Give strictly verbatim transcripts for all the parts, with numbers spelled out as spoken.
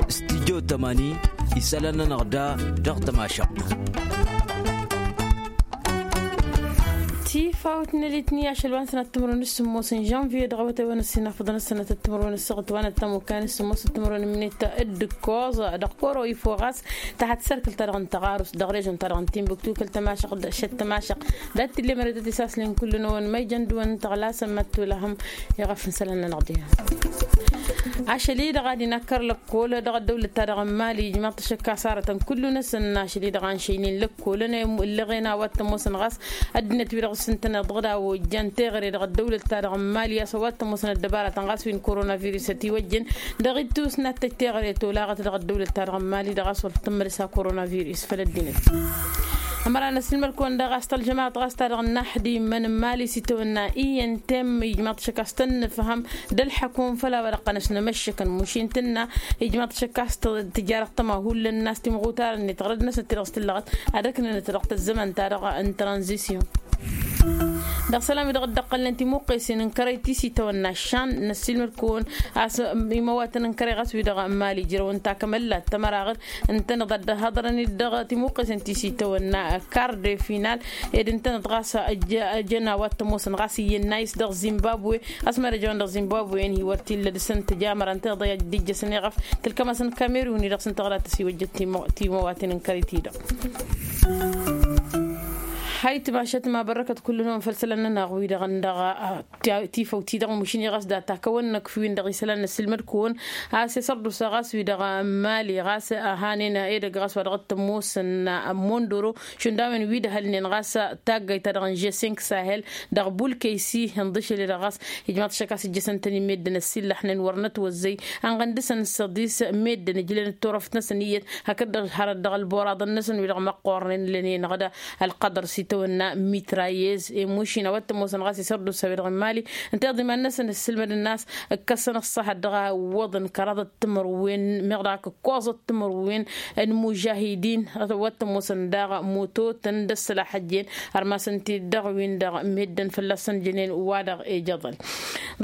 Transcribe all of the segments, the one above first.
Studyo tămani isălan-nănăɣ da dăɣ-tămašăɣt. Tifawt n-elitni ašăl wa n-sănat timǝrwen s-sǝmmos n-žănviye dăɣ-awătay wa n-ăssinafăḍăn s-sănat timǝrwen s-săɣăt wa n-ăttămukkan s-sămmos timǝrwen n-minit d-ǝkkoẓ dăɣ-koro ifo ɣas tahăt sărkǝl-ta-dăɣ n-tăɣarust dăɣ-režon-ta-dăɣ n-timbuktu kăl-tămašăɣt d-ašăt tămašăɣt dat-t-ille mărătăt isaslin kullu-năwăn ma ijăn dăwăn n-tăɣlasăn măttulăhăm. Iɣăf n-isălan-nănăɣ diha ašăl-i-dăɣ ad-inakkăr lăkkol dăɣ-ăddăwlăt-ta-dăɣ n-mali ijmaḍ-t ašăkka s-arătăn kullu-năsăn ašăl-i-dăɣ a n-šăynen lăkkolăn ǝllăɣen a-wa t-ămoosăn ɣas ăddinăt-wi-dăɣ s-ǝntăneḍ dăɣ-daw ojjan teɣăre dăɣ-ăddăwlăt-ta-dăɣ n-mali a-s a-wa t-ămoosăn ăddăbarătăn ɣas wi n-koronavirus ătiwăjjen dăɣ-ittus n-ad-tăj teɣăre tolaɣăt dăɣ-ăddăwlăt-ta-dăɣ n-mali dăɣ-a-s wăr t-tǝmmălăs a-koronavirus făll-ăddinăt. Ămăra n-ăssilmăd-kăwăn daɣ a-s tălžămaɣăt ɣas ta dăɣ-năḥdimăn n-mali s-itawănna iyyăn temm ijmaḍ-t ašăk a-s tăn-nǝfhăm d-ălḥăkum făll-a-wa dăɣ-tăn-ăšnămăššăkăn mušin tǝnna ijmaḍ-t ašăk a-s tǝjarăɣ tăma hullan n-a-s timɣutar-net ɣărăd-năsnăt ti-dăɣ s-tǝllăɣăt ad-ăknănăt dăɣ-tăzzămăn-ta-dăɣ n-tranzisyon. Dăɣ-isălan-wi-dăɣ dd-ăqqălnen timuqqesen n-kărăy ti s-itawănna ăššan n-ăssiilmăd-kăwăn a-s imăwatăn n-kărăy ɣas wi-dăɣ n-mali ǝjrăwăn takămăllat tămăraɣăd ǝntăneḍ ad-dd-ăhhăḍărăn-dd dăɣ-timuqqesen ti s-itawănna kar de final ed ǝntăneḍ ɣas ăjăn a-wa t-ămoosăn ɣas iyyăn n-ayǝs dăɣ-zimbabwe. Ăsmărăjăwăn dăɣ-zimbabwe-en hi-wăr t-illa dăɣ-săn tăjamăra ǝntăneḍ i-ad-dd-ijjăsăn iɣăf tǝlkăm-asăn kamerun-i-dăɣ s-ǝnta ɣǝra tăsiwăjjăt timăwaten n-kărăy-ti-dăɣ. Hayt mašat ma bărrăkăt kullu-năwăn făll-isălan-nănăɣ wi-dăɣ n-dăɣ tifăw-ti-dăɣ mušin-i ɣas data kăwăn-năkf wi n-dăɣ isălan n-ăssilmăd-kăwăn a-s isărdusa ɣas wi-dăɣ n-mali ɣas hanen edăgg ɣas wa dăɣ-t-ămoosăn n-mondoro šund a-wen wi d-ăhălnen ɣas taggayt-ta-dăɣ n-žesink sahel dăɣ-bulkăysi ǝnḍǝšăl-i-dăɣ ɣas ijmaḍ-t ašăk a-s ǝjjăsăn-tăn-in meddǝn ăsillăxnen wăr nătwăzzăy ănɣăn dăɣ-săn săḍis meddǝn ǝjlen d-turăft-năsăn iyyăt hakd-dăɣ hărăt dăɣ-ălburaḍăn-năsăn wi-dăɣ măqqoornen lănen ăɣda ălqăḍăr s-itawănna mitrayez i-mušin a-wa t-ămoosăn ɣas isărdusa wi-dăɣ n-mali ǝnta iḍǝy iman-năsăn ǝssǝlmădăn a-s ǝkkăsăn ăṣṣăhăt dăɣ-a iwwăḍăn kăraḍăt timǝrwen meɣ dăɣ-ak ǝkkoẓăt timǝrwen n-imužahidin a-wa t-ămoosăn daɣ mototăn d-ăssălaḥăjjen ărmasăn-t-dd dăɣ-win-dăɣ meddǝn fălla-săn jănen wa-dăɣ ejăḍăn.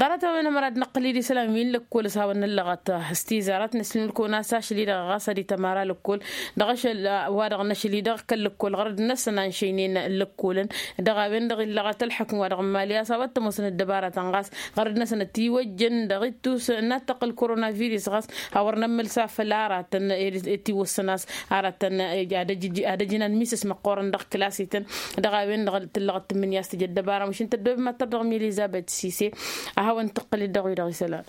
Ḍarăt-a-wen ămăra d-năqqǝl-dd isălan wi n-lăkkol s-hawăn-năllăɣăt s-tizarăt n-ăssinǝlkăwăn a-s ašăl-i-dăɣ ɣas ad-itămara lăkkol dăɣ-ašăl wa-dăɣ n-ašăl-i-dăɣ kăl-lăkkol ɣărăd-năsăn a n-šăynen lăkkolăn dăɣ-a-wen-dăɣ illăɣăt ălḥăkm wa dăɣ-n mali a-s a-wa t-ămoosăn ăddăbarătăn ɣas ɣărăd-năsăn ătiwăjjăn dăɣ-ittus n-ad-tăqqǝl koronavirus ɣas a wăr nămmălsa făll-aratăn ătiwăssăn a-s aratăn ad-ăjǝnan misăs măqqoorăn dăɣ-klasităn dăɣ-a-wen-dăɣ tǝllăɣăt tǝmmǝnǝya a-s tǝjăt dăbara mašin tăddoobem ad-tărdăɣ milizabet sise. A hawăn-tăqqǝl-dd dăɣ-wi-dăɣ isălan.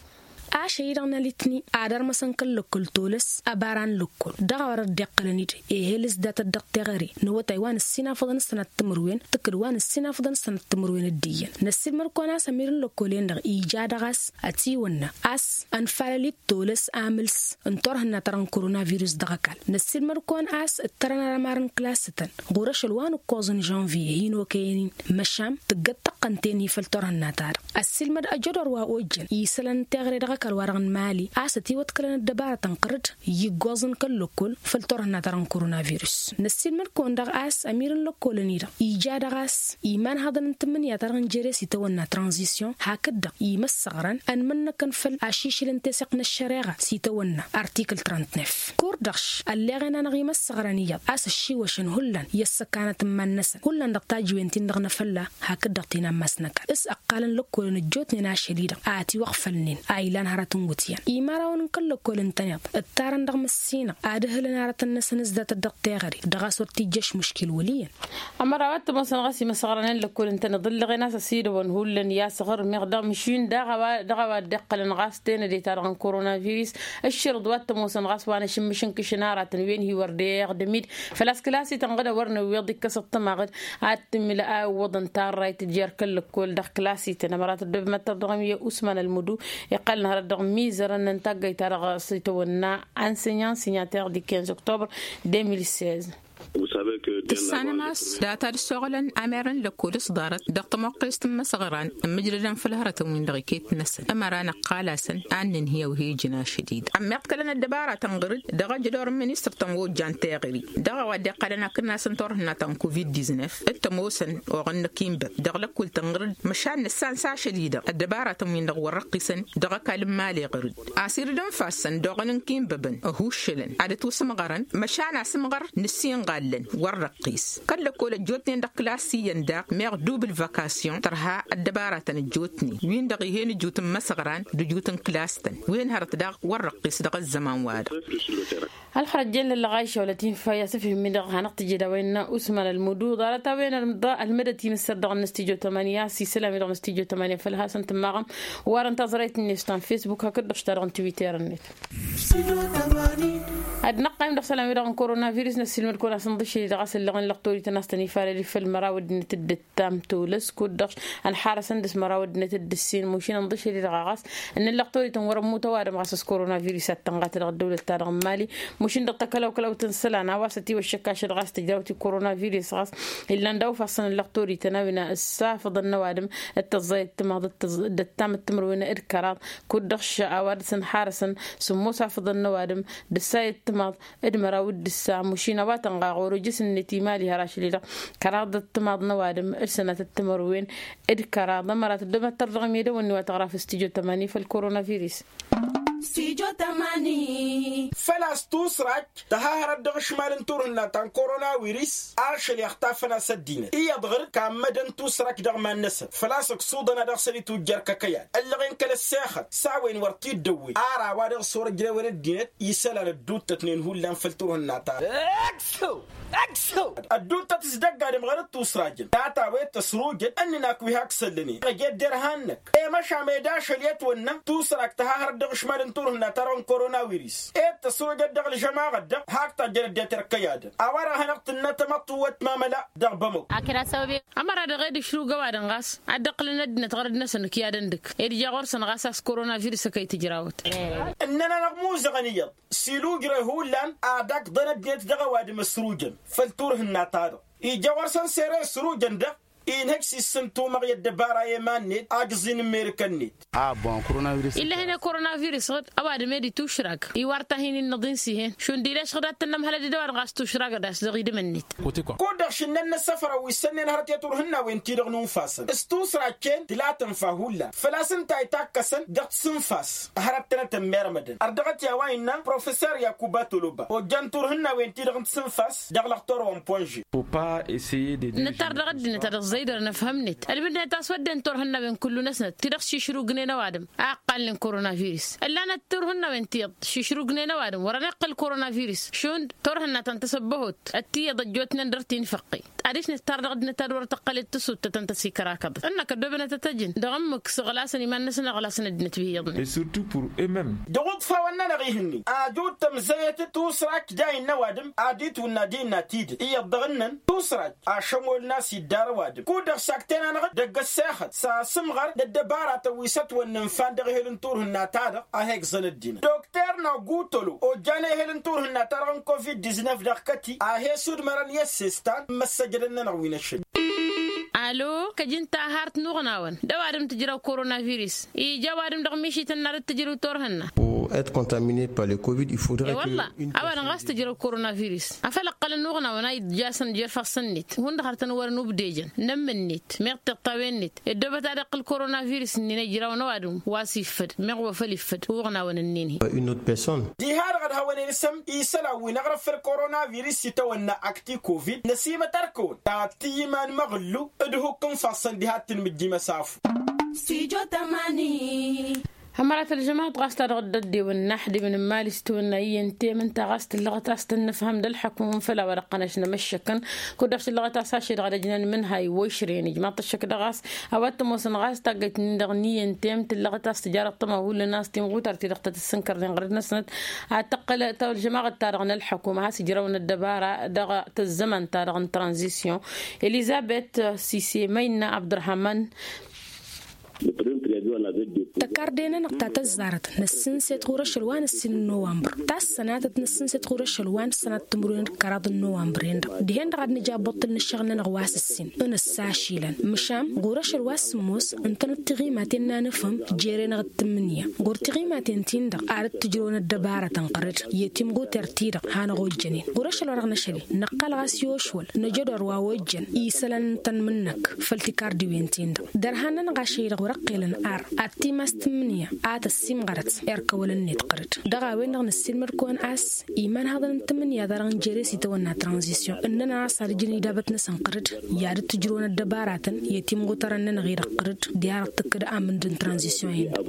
Ašăl-i-dăɣ n-alitni ad-ărmăsăn kăl-lăkkol tolăs ăbara n-lăkkol dăɣ-a-wa dăɣ-dd-iqqălăn-dd ehel s-datăt dăɣ-teɣăre n-awătay wa n-ǝssinafăḍăn s-sănat timǝrwen tǝkkǝd wa n-ǝssinafăḍăn s-sănat timǝrwen d-iyyăn năssiilmăd-kăwăn a-s ămir n-lăkkol-en-dăɣ ija dăɣ-a-s ătiwănna a-s ănfalăl-dd tolăs amǝls n-turhǝnna-ta-dăɣ n-koronavirus dăɣ-ăkall năssiilmăd-kăwăn a-s ǝttărăn armar n-klasătăn ɣur-ašăl wa n-ǝkkoẓ n-žănviye hin-okăyăn-in măšan tǝggăt tăqqăn-ten-hi făll-turhǝnna-ta-dăɣ ăssiilmăd ăjădor wa ojjăn isălan n-teɣăre dăɣ-ăkall wa-dăɣ n-mali a-s ătiwăḍkălăn ăddăbarătăn ɣǝr-dd i-iggoẓăn kăl-lăkkol făll-turhǝnna-ta-dăɣ n-koronavirus năssiilmăd-kăwăn daɣ a-s ămir n-lăkkolăn-i-dăɣ ija daɣ a-s imanhaḍăn n-tǝmmǝnǝya-ta-dăɣ n-jere s-itawănna tranzisyon hakd-dăɣ imăssăɣrăn ănmănnăkăn făll-ašišǝl n-teseɣt n-ăššăreɣa s-itawănna artikǝl trăntnef kur-dăɣ š-ălleɣen-anăɣ imăssăɣrăn iyyăḍ a-s ăššiwăšăn hullan i-ăssăkanăt n-iman-năsăn hullan dăɣ-tajǝwen-ti-dăɣ n-afălla hakd-dăɣ tinammas n-ăkall s-ăqqalăn lăkkolăn ăjjootnen ašăl-i-dăɣ a ătiwăɣfălnen a ilan hărăt n-iwǝtyan imărawăn n-kăl-lăkkol ǝntăneḍ ǝttarăn dăɣ-măssinăɣ ad-ǝhǝlăn arătăn-năsăn s-datăt dăɣ-teɣăre dăɣ-a-s wăr t-ijjăš muškil wăl' iyyăn. Ămăra wa t-ămoosăn ɣas imăsɣărăn n-lăkkol ǝntăneḍ ǝllăɣen a-s ăsidăwăn hullan i-asăɣrǝm iɣ dăɣ-măšin dăɣ-a-wa dd-iqqălăn ɣas tenăde-ta-dăɣ n-koronavirus ǝššărǝḍ wa t-ămoosăn ɣas wa n-ašǝmmǝš n-kǝšǝn aratăn wen hi-wăr deɣ d-amid făl-a-s kăla s-itănɣăd a wăr năwweḍ ikkăs ăṭṭămaɣ-dd ad-t-imǝl a iwwăḍăn tarrayt jer-kăl-lăkkol dăɣ-klasităn ămăra tăddobem ad-tărdăɣăm i-usman ălmădu iqqălăn hărăt dăɣ-mizărăn n-taggayt-ta-dăɣ s-itawănna enseignant signataire du quinze octobre deux mille seize. Vous savez que Tǝssanăm a-s data d-ăssoɣălăn amer n-lăkkol s-ḍarăt dăɣ-tămoqqest n-imăsăɣran ǝmmǝjrădăn făll-hărătăn-win-dăɣ iket-năsăn ămăra năqqal-asăn ad-nǝnhǝy awhejăn ašăl-i-dăɣ ămmiḍkălăn ăddăbaratăn ɣǝr-dd dăɣ-ajădor n-ministăr-tăn wa ojjan teɣări dăɣ-a-wa dd-iqqălăn akǝnnas n-turhǝnna ta n-covid-diznăf d-tămoosăn oɣăn n-akinbăb dăɣ-lăkkul-tăn ɣǝr-dd măšan nǝssan s-ašăl-i-dăɣ ăddăbaratăn-win-dăɣ wăr-răqqisăn dăɣ-ăkall n-imali ɣǝr-dd. Asir d-ǝnfasăn d-oɣăn n-kinbăbăn ăhuššălăn ad-ătwǝsǝmɣărăn măšan asǝmɣăr nǝssinɣallăn wăr-răqqis kăl-lăkkol ăjjootnen dăɣ-klas iyyăn daɣ meɣ dubǝl văkasyon tărha ăddăbaratăn ăjjootnen win-dăɣ ih'-en ǝjut n-imăsăɣran d-ǝjut n-klas-tăn wi n-hărăt daɣ wăr-răqqis dăɣ-ăzzăman-wa-dăɣ. Ălxărăt jen lăllăɣ a išawălăt infa i-asǝfhǝm-i-dăɣ hanăɣ-tǝjjed a-wen n-usman ălmudu ḍarăt a-wen ărmǝḍa ălmădăt imǝssăr dăɣ-năstijotămani a-s isălam-i dăɣ-năstijotămani făll-hasăn-tǝmmaɣăm. Warăn taẓrayt-net ta n-fesbuk hakd-dăɣ ta dăɣ-n twitter-net. Ad-năqqayăm dăɣ-isălam-i-dăɣ n-koronavirus năssiilmăd-kăwăn-asăn ḍišăl-i dăɣ-a-s ǝllăɣen lăqtorităn a-s tăn-ifalăli făll-măraw ăddinăt dd-ǝttam tolăs kud-dăɣ ănḥarăsăn dăɣ-s măraw ăddinăt dd-ǝssin mušin ǝnḍišăl-i-dăɣ a ɣas ǝnnăn lăqtorităn wăr-ămmut ăwadǝm ɣas s-koronavirus ad-tănɣat dăɣ-ăddăwlăt-ta-dăɣ n-mali. Mušin dăɣ-takălawkălawt n-isălan a-wa s-ătiwăššăk ašăl ɣas tǝjrawt i-koronavirus ɣas illan daw-ifassăn n-lăqtorităn a-wen ăssafăḍăn n-ăwadǝm d-tăẓẓayăt timaḍ d-ăttam d-timǝrwen d-kăraḍ kud-dăɣ š-a-wa dăɣ-s ănḥarăsăn sǝmmos afăḍăn n-ăwadǝm d-ǝssayăt timaḍ d-măraw d-ǝssa mušin a-wa tănɣa ɣur-ojăs-net imali har ašăl-i-dăɣ kăraḍăt timaḍ n-ăwadǝm d-sănatăt timǝrwen d-kăraḍ ămărat ăddămăttăr dăɣ-imedăwăn-ni wa tăɣra făll-stijo tămani făll-koronavirus. Stijo tămani. Făl-a-s tusrak tăhahărăt dăɣ-ašmal n-turhǝnna ta n-koronavirus ašăl i-ăxtafăn a-s ăddinăt iyyăḍ ɣǝr-dd kammădăn tusrak dăɣ-iman-năsăn făl-a-s ăksuḍăn a dăɣ-săn itujjăr kăkăyad ǝllăɣen kăl-ăssexăt s-a-wen wăr t-dd-ăwwen ar a-wa dăɣ-s wăr-ăjrewăn ăddinăt isălan ădduuttătnen hullan făll-turhǝnna-ta-dăɣ. Ădduuttăt s-dăgg-adǝm ɣărăt tusrajăn data-wet tăsrujăt ǝnnǝn ak wi hak săllănen ăj ed derhan-năk i-măšan ed ašăl i-ătwănna tusrakt tăhahărăt dăɣ-ašmal n-turhǝnna-ta-dăɣ n-koronavirus ed tăsrujăt dăɣ-ălžămaɣăt-dăɣ hak tajjăn ăddinăt irkăy-adăn a-wa-dăɣ a hanăɣ-tǝnnă tamăṭṭuwăt mamăla dăɣ-bamăko. Ămăra-dăɣ ed išrug ăwadǝm ɣas ad-dd-ǝqqǝlăn ăddinăt ɣărăt-năsăn ǝkyadăn dăgg ed ija ɣur-săn ɣas a-s koronavirus ăkăy tǝjrawăt. Ǝnnăn-anăɣ muzăɣăn iyyăḍ s-ila ujrăy hullan ad-akḍăn ăddinăt dăɣ-ăwadǝm ăsrujăn făll-turhǝnna-ta-dăɣ ija ɣur-săn sere ăsrujăn-dăɣ inhăj s-issǝntumăɣ i-ăddăbara i-iman-net ajǝẓ-in n-merǝkăn-net. Ill'-e-hin i-koronavirus ɣǝd ăwadǝm ed itušrag iwar ta hin-innăḍ-in s-ih'-en šund ileš ɣǝd ad-tǝnnăm hălăd-dd ăwadǝm ɣas tušragăd a-s dăɣ-idǝm-net. Kud-dăɣ šǝnnăn n-ăssăfrăw wi s-ănnen hărăt i-turhǝnna-wen-ti-dăɣ nunfasăn s-tusrag-ten tǝla tǝnfa hullan făl-a-s ǝnta a itakkăsăn dăɣ-tisǝnfas hărăt-tănăt ămmermădăn ărdăɣăt i-a-wa innă professer yakuba toloba ojjan turhǝnna-wen-ti-dăɣ n-tisǝnfas dăɣ-lăxtor wa n-ponže. Nǝttar dăɣ-ăddinăt ad-ăẓẓăydărăn ăfhăm-net ălmǝdnet a-s wădden turhǝnna-wen kullu-năsnăt ti-dăɣ šišrugnen ăwadǝm a ǝqqalnen koronavirus ǝllanăt turhǝnna-wen tiyyăḍ šišrugnen ăwadǝm wăren iqqăl koronavirus šund turhǝnna ta n-tasăbbăhot ăttiyyăḍ ăjjootnen dăr-tinfăqqi. Adiš nǝttar dăɣ-ăddinăt ad-wăr tăqqălet tasuttăt ǝnta s-ikărakăḍăt ǝnnăk ăddoobănăt ad-t-ăjǝn dăɣ-ǝmmǝk s-iɣlasăn iman-năsăn iɣlasăn ăddinăt wi iyyăḍnen. Dăɣ-uḍfawăn-nănăɣ ih'-ni ajut tămzăyăt tusrak dayǝn n-ăwadǝm ad-itwǝnna d-innă tidǝt iyyăḍ dăɣ-ǝnnăn tusrak ašămol n-a-s iddar ăwadǝm kud-dăɣ sakten-anăɣ-dd dăgg-ăssexăt s-asǝmɣăr d-ăddăbaratăn wi s-ătwănnǝnfan dăɣ-ehel n-turhǝnna-ta-dăɣ a he-igẓăn ăddinăt dokter nogutolo ojjan ehel n-turhǝnna-ta-dăɣ n-covid-diznăf dăɣ-kăti a he-sudmărăn i-ăssestan n-imăssăjădăn-nănăɣ wi n-ašăl. Alo kăj-ǝnta a har-t n-uɣnawăn d-ăwadǝm tǝjrăw koronavirus ija ăwadǝm dăɣ-mišităn n-ad-dd-tǝjrǝw turhǝnna. Pour être contaminé par le covid il faudrait que. E-wălla ăwadǝm ɣas tǝjrăw koronavirus afăl ǝqqălăn uɣnawăn a idd-jasăn jer-ifassăn-net hundăɣ har tăn-wărăn ubdejăn n-ǝmmǝn-net meɣ tiṭṭawen-net ăddoobăt ad-iqqǝl koronavirus-nin ăjrawăn ăwadǝm wa s-iffăd meɣ wa făl iffăd uɣnawăn-nin-hi. Une autre personne. Diha-dăɣ ădhawăn-en isălan wi n-aɣrǝf făll-koronavirus itawănna akti covid năsimăt ărkăwăn ta t-iyyǝm anmăɣǝllu d-ihukk n-ifassăn diha t-tǝnmǝjjimăsafu. Stujo tămani. Hămărat ălžămaɣăt ɣas ta dăɣ-dd-ăddewăn n-aḥdimăn n-imali s-tiwănna iyyăn temǝnta ɣas tǝllăɣăt a-s tăn-nǝfhăm d-ălḥăkum făll-a-wa dăɣ-tăn-ăšnăm ăššăkăn. Kud-dăɣ tǝllăɣăt a-s ašăl dăɣ-edăjnan mǝnhayǝw wa išrăyăn ijmaḍ-t ăššăk dăɣ-a-s a-wa t-ămoosăn ɣas taggăyt-nin-dăɣ n-iyyăn temǝnt tǝllăɣăt a-s tǝjarăḍ tămahulăn a-s timɣutart-i-dăɣ ta tǝssǝnkărnen ɣărăd-năsnăt ad-tăqqǝl ta ălžămaɣăt-ta-dăɣ n-ălḥăkum a has-ǝjrăwăn ăddăbara dăɣ-tăzzăman-ta-dăɣ n-tranzisyon. Elizăbet sise măyna abdărhaman. Tăkarde-nănăɣ ta tăzzarăt năssǝnset ɣur-ašăl wa n-ǝssin n-nowămbăr. Ta s-sănatăt năssǝnset ɣur-ašăl wa n-sănat timǝrwen d-kăraḍ n-nowămbăr-en-dăɣ dihen-dăɣ ad-nǝj abbuṭṭǝl n-ǝššăɣǝl-nănăɣ wa s-ǝssin. Ǝnǝssa ašilăn măšan ɣur-ašăl wa s-sǝmmos ǝntănăt tiɣimaten n-anǝfhǝm. Jere-năɣ d-tǝmmǝnǝya ɣur-tiɣimaten-tin-dăɣ ad-dd-tǝjrăwăn ăddăbarătăn ɣăr-dd i-timɣuter-ti-dăɣ hanăɣ-ojjănen ɣur-ašăl wa dăɣ-năšăl-i năqqal ɣas i-ošwăl năjădor wa ojjăn isălan n-tanmǝnnăk făll-tikardiwen-tin-dăɣ. Dăr-han-nănăɣ ašăl-i-dăɣ wăr-ăqqelăn ar ad-timas tǝmmǝnǝya a tăssimɣărăt erk ăwăl-net ɣăr-dd. Dăɣ-a-wen-dăɣ năssiilmăd-kăwăn a-s imanhaḍăn n-tǝmmǝnǝya ta dăɣ-nǝjere s-itawănna tranzisyon ǝnnăn a-s ad-ǝjǝn idabăt-năsăn ɣăr-dd i-ad-dd-tǝjrǝwăn ăddăbaratăn i-timɣutărăn-nănăɣ-i-dăɣ ɣăr-dd. Diha-dăɣ tǝkkǝd amǝnd n-tranzisyon-in-dăɣ.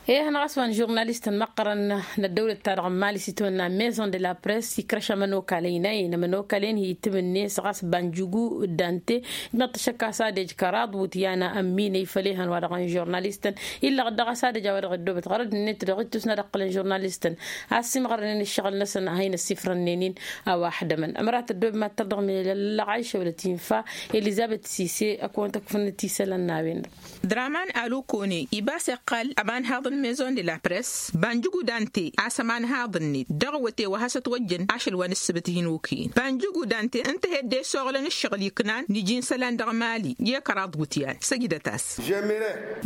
Ih-năɣ a-s wa n-žurnalist n-imăqqărăn n-ăddăwlăt-ta-dăɣ n-mali s-itawănna maison de la press ikrăš amănokal ăynayăn amănokal-en hi-itǝmǝnnes ɣas banjǝgu dante. Ijmăḍ-t ăššăk a-s ad-ej kăraḍ wutyan ămminăy făll-ehăn wa dăɣ-n žurnalistăn illăɣ-dd dăɣ-a-s ad-ej a-wa dăɣ-ăddoobăt ɣărăd-net dăɣ-ittus n-ad-ǝqqǝlăn žurnalistăn a ăssiimɣărnen ǝššăɣǝl-năsăn a hin-ăssifrănnenin. A-wa ăḥdămăn ămărat ăddoobem ad-tărdăɣ milăllăɣ ayšăwlăt infa elizăbet sise ăkăwăn-tăkfǝnăt isălan n-a-wen-dăɣ. Draman alukone ibas iqqal ămanhaḍ n-maison de la press banjǝgu dante a-s ămanhaḍ-net dăɣ-awăte wa hasăt-wăjjăn ašăl wa n-ǝssǝbǝt hin-okăyăn banjǝgu dante ǝnta a he-dd-esoɣlăn ǝššăɣǝl iknan n-iji n-isălan dăɣ-mali i-kăraḍ wutyan săjdăt-as.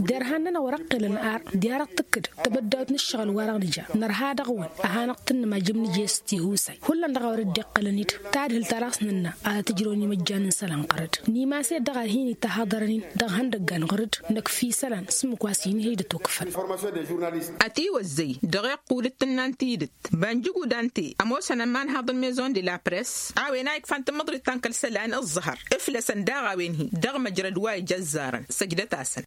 Derhan-nănăɣ wăr-ăqqelăn ar diha-dăɣ tǝkkǝd tăbăddawt n-ǝššăɣǝl-wa-dăɣ nǝja nărha dăɣ-wăn a hanăɣ-tǝnnǝm ajǝm nǝjes tihusay hullan dăɣ-a wăr dd-iqqălăn-dd tadhǝlt-ta-dăɣ s-nǝnna ad-tǝjrăwăn imăjjan n-isălan ɣăr-dd. Nimas-e-dd dăɣ-ad-hin-itahăḍărăn-in dăɣ-ihăndăggan ɣăr-dd năkf isălan s-ǝmmǝk wa s-hin-hi-dd-ătwăkfăn. Ătiwăzzăy dăɣ-iqqul d-tǝnna n-tidǝt banjǝgu dante ămoosăn ămanhaḍ n-maison de la press a-wen a ikfan tǝmmǝḍrit ta n-kăl-isălan ǝẓẓăhăr ǝflăsăn daɣ a-wen-hi dăɣ-măjrăd wa ija ăzzarăn săjdăt-asăn.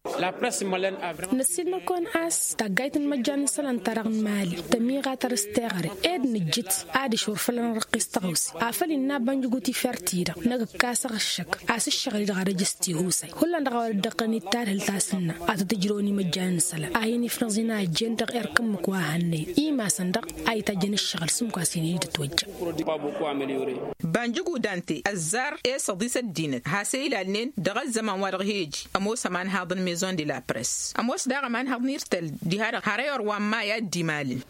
Năssiilmăd-kăwăn a-s taggayt n-imăjjan n-isălan-ta-dăɣ n-mali tămiɣatăr s-teɣăre ed nǝjjǝt adiš wăr făl ănrăqqis tăɣawse afăl innă a banjǝgu tifer-ti-dăɣ năgg-ǝkkasăɣ ǝššăk a-s ǝššăɣǝl-i-dăɣ ad-ăj s-tihusay hullan dăɣ-a wăr dd-ăqqălăn-dd tadhǝlt a-s ǝnna ad-tăt-ǝjrăwăn imăjjan n-isălan a hin-ifnăẓ inajjen dăɣ-erk ǝmmǝk wa hannăyăn imasăn-dăɣ a itajjăn ǝššăɣǝl s-ǝmmǝk wa s-hin-hi-dd-ătwăjja. Banjǝgu dante ăzzar esăḍis ăddinăt has-e-ilalnen dăɣ-ăzzăman wa dăɣ-hi-ăj ămoos ămanhaḍ n-maison de la press ămoos daɣ ămanhaḍ n-irtăl diha-dăɣ har ăyor wa n-maya dd-imalǝl.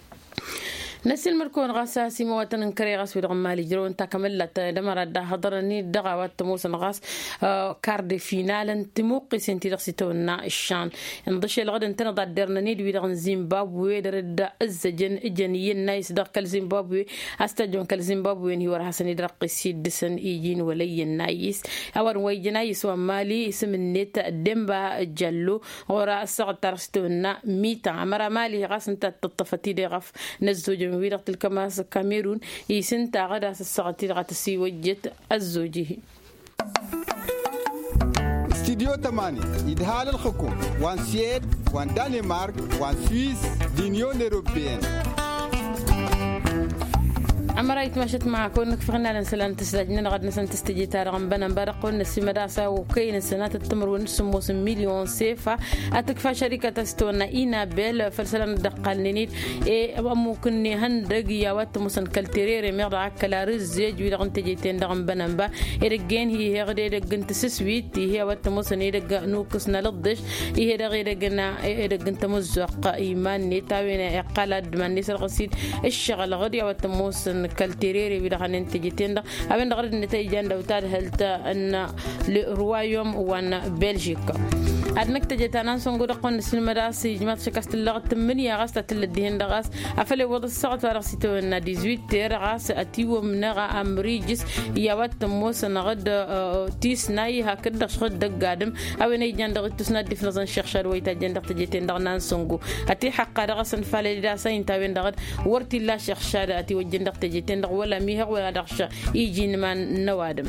Năssiilmăd-kăwăn ɣas a-s imawatăn n-kăre ɣas wi-dăɣ n-mali ǝjrăwăn takămăllat d-ămăra dd-ahăḍărăn-dd dăɣ-a-wa t-ămoosăn ɣas kar de final n-timuqqisen-ti-dăɣ s-itawănna ǝššan. Inḍǝšel ɣǝd ǝntăneḍ ad-derrăn-dd wi-dăɣ n-zimbabwe dăr-dd-ǝzzăjăn ǝjăn iyyăn n-ayǝs dăɣ-kăl-zimbabwe a-s tajjăn kăl-zimbabwe n-hi-wăr hasăn-dd-răqqis-i dd-săn iji n-wăla iyyăn n-ayǝs. A-wa dăɣ-n wa ijăn ayǝs wa n-mali isǝm-net demba jallo ɣur-ăssaɣăt-ta-dăɣ s-tawănna mita ămăra mali ɣas ǝnta a t-tǝṭṭăfăt-dd eɣăf n-ăzzojăn wi-dăɣ tǝlkăm a-s kamerun. Isǝnta ɣǝd a-s ăssaɣăt-i-dăɣ a tăsiwăjjăt ăzzoj-ihi. Studyo tămani idhal ălxǝkum wa n-swed wa n-danemark wa n-swiss d-inyon europeyăn. Ămăra itmašăt ma kăwăn-nǝkfăɣ n-alăn isălan n-tǝsdaj-nănăɣ ad-năsăn tǝstăje-ta-dăɣ n-bănănba dăɣ-kăwăn-năsimăd a-s a okăyăn ǝssănatăt timǝrwen d-sǝmmos n-milyon sefa. Ad-tǝkfa šărikăt a-s tăwănna inabel făll-isălan dd-ăqqalnen-dd e ămmuk n-ihăndăg i-a-wa t-ămoosăn kăl-terere meɣ dăɣ-ak kăla rǝzzej wi-dăɣ n-teje-ten-dăɣ n-bănănba. Edăgg-en hi-heɣ d-edăgg n-tǝsǝswit ih'-e a-wa t-ămoosăn edăgg n-ukǝs n-alǝḍḍeš. Ih'-e dăɣ-edăgg n-edăgg n-tamǝzzuɣt iman-net a-wen iqqal ad-dd-iman-net sărɣǝs-dd ǝššăɣǝl ɣǝd i-a-wa t-ămoosăn kăl-terere wi-dăɣ hanen teje-ten-dăɣ. A-wen-dăɣ dd-nătăyjăn d-awtadhălt n-le ruwayom wa n-beljik. Ad-năkk teje ta n-ansăngo dăɣ-kăwăn-năsǝlmăd a-s ijmaḍ šăkk a-s tǝllăɣ tǝmmǝnǝya ɣas ta tǝllăt dihen-dăɣ a-s afăl iwwăḍ ăssaɣăt-wa-dăɣ s-itawănna dizwit ter ɣas ătiwămnăɣ amrijǝs i-a-wa t-ămoosăn ɣǝd tisnay hakd-dăɣ šăɣ-dd ăgg-adǝm. A-wen a ijan dăɣ-ittus n-ad-dd-ifnăẓăn šăɣšad wa itajjăn dăɣ-teje-ten-dăɣ n-ansăngo ătihăqqa dăɣ-asăn falăl-dd a-s a inta a-wen-dăɣ wăr t-illa šăɣšad ătiwăjjăn dăɣ-teje-ten-dăɣ wăla mihăɣ wăla dăɣ-ša iji n-iman n-ăwadǝm.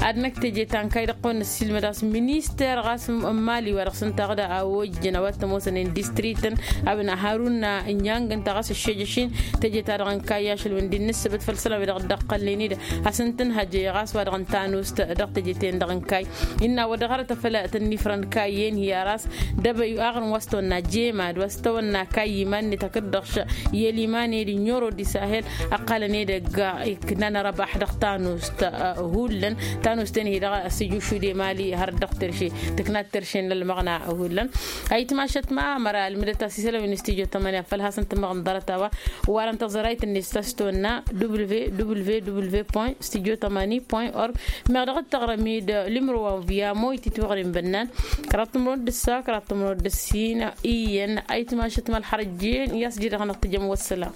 Ad-năkk teje ta n-kayy dăɣ-kăwăn-năssilmăd a-s minister ɣas n-mali wa dăɣ-s ǝnta ɣǝd a ojjăn a-wa t-ămoosăn indistrităn a-wen a harun n-inyang ǝnta ɣas ǝššejăš-in. Teje-ta-dăɣ n-kayy ašăl wi n-dd-nǝssǝbǝt făll-isălan wi-dăɣ dd-ăqqălnen-dd a-s ǝntǝnhăjăy ɣas wa dăɣ-n tanust dăɣ-teje-ten-dăɣ n-kayy. Innă wăr dăɣ-hărăt afăl tăn-ifrăn kayyen hi-aras dăbăy aɣrǝm wa s-tăwănna jemad wa s-tăwănna kayy iman-net hakd-dăɣ š-i ăliman-ed n-oro d-isahel. Ăqqalăn edăgg iknan răbaḥ dăɣ-tanust hullan tanust-en hi-dăɣ a-s ija ušud i-mali har dăɣ-terše tǝkna d-terše. Ălmăɣna hullan ayǝtmašăt ma măra ălmǝdăt a-s isălan wi n-studio tămani afăl hasăn-tǝmmăɣ n-ḍarăt a-wa warăn tăẓrayt-net s-tăstonna www studio tămani org. Meɣ dăɣ-t tăɣrăm-dd limro wa n-via moy titwăɣrin bănnan kăraḍ tǝmrăwăt d-ǝssa kăraḍ tǝmrăwăt d-ǝssin iyyăn ayǝtmašăt ma ălxărăjjen i-a-s dd-dăɣ-năɣ tǝjăm wăssălam.